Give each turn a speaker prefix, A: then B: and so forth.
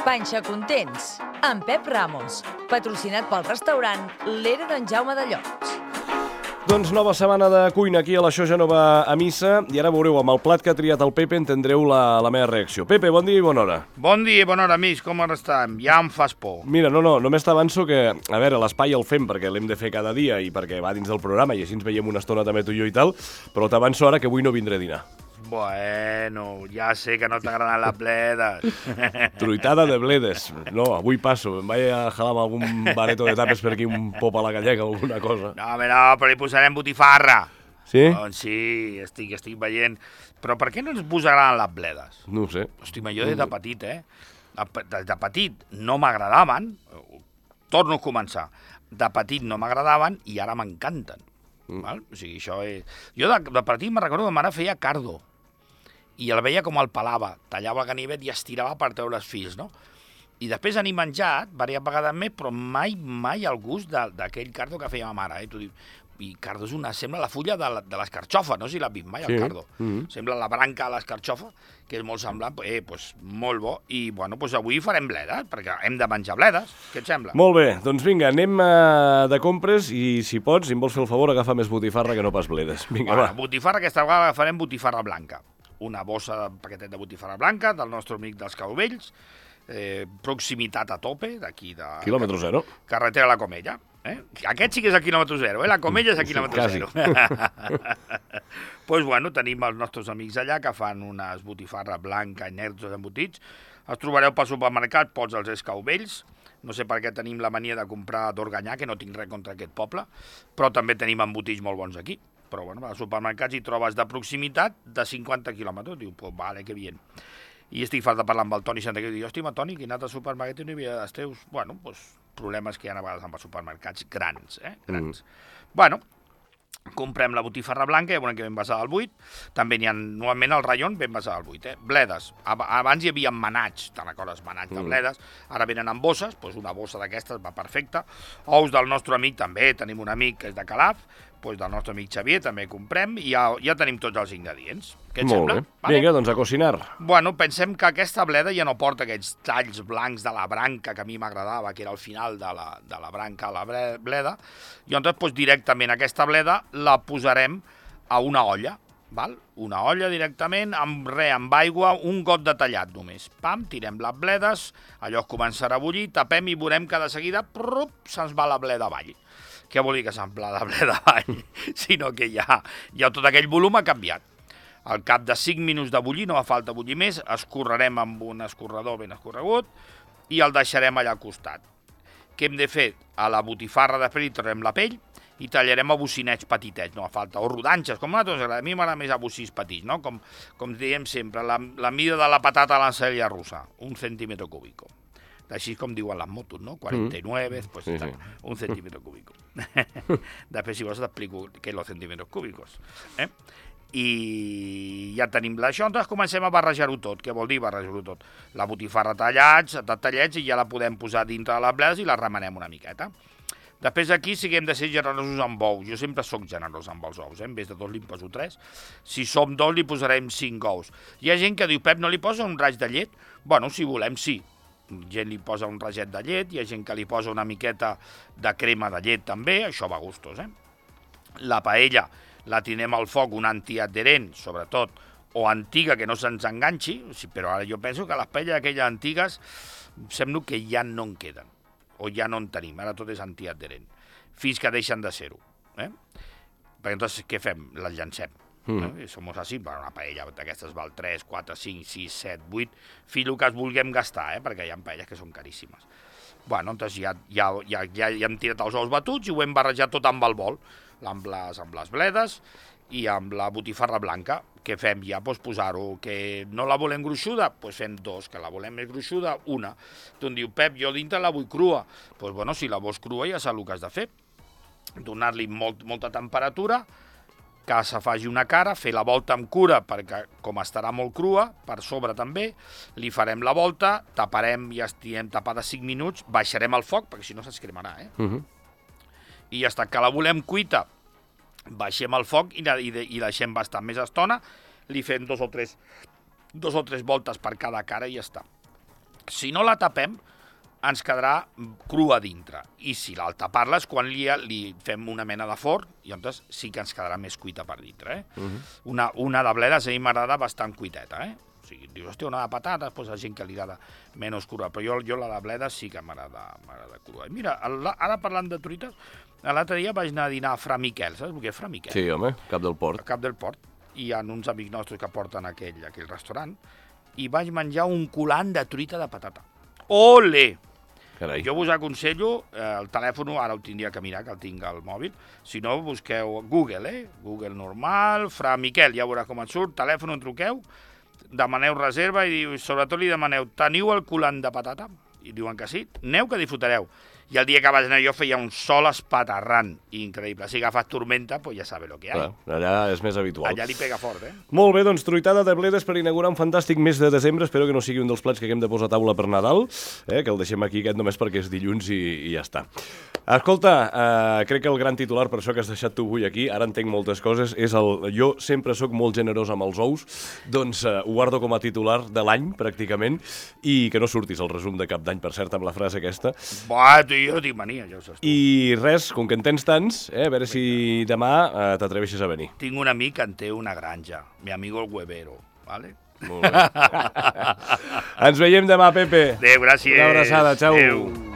A: Panxa Contents, amb Pep Ramos, patrocinat pel restaurant L'Era d'en Jaume de Llots.
B: Doncs nova setmana de cuina aquí a l'Això ja no va a missa i ara veureu, amb el plat que ha triat el Pepe entendreu la meva reacció. Pepe, bon dia i bona hora.
C: Bon dia i bona hora, amics, com estem? Ja em fas por.
B: Mira, només t'avanço que, a veure, l'espai el fem perquè l'hem de fer cada dia i perquè va dins del programa i així ens veiem una estona també tu i jo i tal, però t'avanço ara que avui no vindré a dinar.
C: Bueno, ja sé que no t'agraden les bledes.
B: Truitada de bledes. No, avui passo. Em vaig a jalar amb algun bareto de tapes per aquí, un pop a la gallega o alguna cosa.
C: No, però li posarem botifarra.
B: Sí?
C: Doncs sí, estic veient. Però per què no ens posaran les bledes?
B: No ho sé.
C: Hosti, jo des de petit, Des de petit no m'agradaven, torno a començar, de petit no m'agradaven i ara m'encanten. Val? O sigui, això és... Jo de petit me'n recordo que ma mare feia cardo i el veia com el pelava, tallava el ganivet i estirava per treure els fils, no? I després n'he menjat diverses vegades més, però mai el gust d'aquell cardo que feia ma mare. Tu dius, i cardo sembla la fulla de l'escarxofa, no sé si l'has vist mai, el cardo. Sembla la branca de l'escarxofa, que és molt semblant, doncs molt bo. I bueno, doncs avui farem bledes, perquè hem de menjar bledes. Què et sembla?
B: Molt bé, doncs vinga, anem de compres i si pots, si em vols fer el favor, agafa més botifarra que no pas bledes. Vinga, va.
C: Botifarra, aquesta vegada farem botifarra blanca. Una bossa, un paquetet de botifarra blanca del nostre amic dels Cauvells, proximitat a tope, d'aquí de...
B: Quilòmetre zero.
C: Carretera a la Comella. Aquest sí que és a quilòmetre zero, la Comella és a quilòmetre zero. Doncs bueno, tenim els nostres amics allà que fan unes botifarra blanca i negres embotits. Els trobareu pel supermercat, pots els Escauvells. No sé per què tenim la mania de comprar d'Organyà, que no tinc res contra aquest poble, però també tenim embotits molt bons aquí. Però bueno, als supermercats hi trobes de proximitat de 50 quilòmetres. Diu, pues vale, que bien. I estic fart de parlar amb el Toni Santaquer i diu, hòstia, Toni, que he anat al supermercat i no hi havia dels teus. Bueno, doncs problemes que hi ha a vegades amb els supermercats grans, grans. Bueno, comprem la botifarra blanca, ja veurem que ben basada al buit. També n'hi ha, normalment al raïon, ben basada al buit. Bledes. Abans hi havia manats, te'n recordes, manats de bledes. Ara venen en bosses, doncs una bossa d'aquestes va perfecta. Ous del nostre amic també, tenim un amic que és de Calaf, doncs del nostre amic Xavier també comprem i ja tenim tots els ingredients. Què et sembla?
B: Molt bé. Vinga, doncs a cocinar.
C: Bueno, pensem que aquesta bleda ja no porta aquests talls blancs de la branca que a mi m'agradava, que era al final de la branca a la bleda, i llavors doncs, directament aquesta bleda la posarem a una olla, val? Una olla directament, amb aigua, un got de tallat només. Pam, tirem les bledes, allò començarà a bullir, tapem i veurem que de seguida se'ns va la bleda avall. Què vol dir que se'n va la bleda avall? Sinó que ja tot aquell volum ha canviat. Al cap de 5 minuts de bullir, no fa falta bullir més, escorrerem amb un escorredor ben escorregut i el deixarem allà al costat. Què hem de fer? A la botifarra després hi traurem la pell i tallarem a bocinets petitets, no fa falta, o rodanxes, com a nosaltres, a mi m'agrada més a bocins petits, no? Com diem sempre, la mida de la patata a l'ensalada russa, 1 centímetre cúbico. Així com diuen les motos, no? 49, pues sí. 1 centímetro cúbico. Després, si vols, t'explico què són els centímetres cúbicos. I ja tenim això, doncs comencem a barrejar-ho tot. Què vol dir barrejar-ho tot? La botifarra tallets i ja la podem posar dintre de les bledes i la remenem una miqueta. Després aquí sí que hem de ser generosos amb ous. Jo sempre sóc generós amb els ous, En vez de 2 li poso 3. Si som 2 li posarem 5 ous. Hi ha gent que diu, Pep, no li posa un raig de llet? Bueno, si volem, sí. Gent li posa un raget de llet, hi ha gent que li posa una miqueta de crema de llet també, això va a gustos, La paella la tinem al foc, una antiadherent, sobretot, o antiga, que no se'ns enganxi, però ara jo penso que les paelles aquelles antigues sembla que ja no en queden, o ja no en tenim, ara tot és antiadherent, fins que deixen de ser-ho. Perquè entonces què fem? Les llancem. Som així, una paella d'aquestes val 3, 4, 5, 6, 7, 8, fil que es vulguem gastar, perquè hi ha paelles que són caríssimes. Bueno, doncs ja hem tirat els ous batuts i ho hem barrejat tot amb el bol, amb les bledes i amb la botifarra blanca. Què fem ja? Doncs posar-ho, que no la volem gruixuda, doncs fem 2, que la volem més gruixuda, 1. Tu em diu, Pep, jo dintre la vull crua. Doncs bueno, si la vols crua ja saps el que has de fer. Donar-li molta temperatura, que se faci una cara, fer la volta amb cura, perquè com estarà molt crua, per sobre també, li farem la volta, taparem, ja estiguem tapada 5 minuts, baixarem el foc, perquè si no s'escremarà, I ja està, que la volem cuita, baixem el foc i deixem bastant més estona, li fem 2 o 3 voltes per cada cara i ja està. Si no la tapem, ens quedarà crua dintre. I si la tapar-la és quan li fem una mena de forn, i llavors sí que ens quedarà més cuita per dintre. Una de bledes a mi m'agrada bastant cuiteta. O sigui, dius, hòstia, una de patates, doncs hi ha gent que li agrada menys crua, però jo la de bledes sí que m'agrada crua. I mira, ara parlant de truites, l'altre dia vaig anar a dinar a Fra Miquel, saps què és Fra Miquel?
B: Sí, home, Cap del Port.
C: A Cap del Port. Hi ha uns amics nostres que porten aquell restaurant, i vaig menjar un culant de truita de patata. Ole!
B: Carai.
C: Jo us aconsello, el telèfon ara ho tindria que mirar, que el tinc al mòbil, si no busqueu Google, Google normal, Fra Miquel, ja veurà com et surt, telèfon on truqueu, demaneu reserva i sobretot li demaneu, teniu el culant de patata? I diuen que sí, aneu que disfrutareu. I el dia que vaig anar jo feia un sol espaterrant, increïble. Si agafes tormenta, pues ja sabe lo que hay.
B: Allà és més habitual.
C: Allà li pega fort,
B: Molt bé, doncs truitada de bledes per inaugurar un fantàstic mes de desembre. Espero que no sigui un dels plats que haguem de posar a taula per Nadal, que el deixem aquí aquest només perquè és dilluns i ja està. Escolta, crec que el gran titular, per això que has deixat tu avui aquí, ara entenc moltes coses, és jo sempre sóc molt generós amb els ous, doncs ho guardo com a titular de l'any, pràcticament, i que no surtis al resum de cap d'any, per cert, amb la frase aquesta.
C: Jo tinc mania, ja ho saps tu.
B: I res, com que en tens tants, a veure si demà t'atreveixes a venir.
C: Tinc un amic que en té una granja, mi amigo el huevero, ¿vale?
B: Molt bé. Ens veiem demà, Pepe.
C: Adéu, gràcies.
B: Una abraçada, xau.
C: Adéu.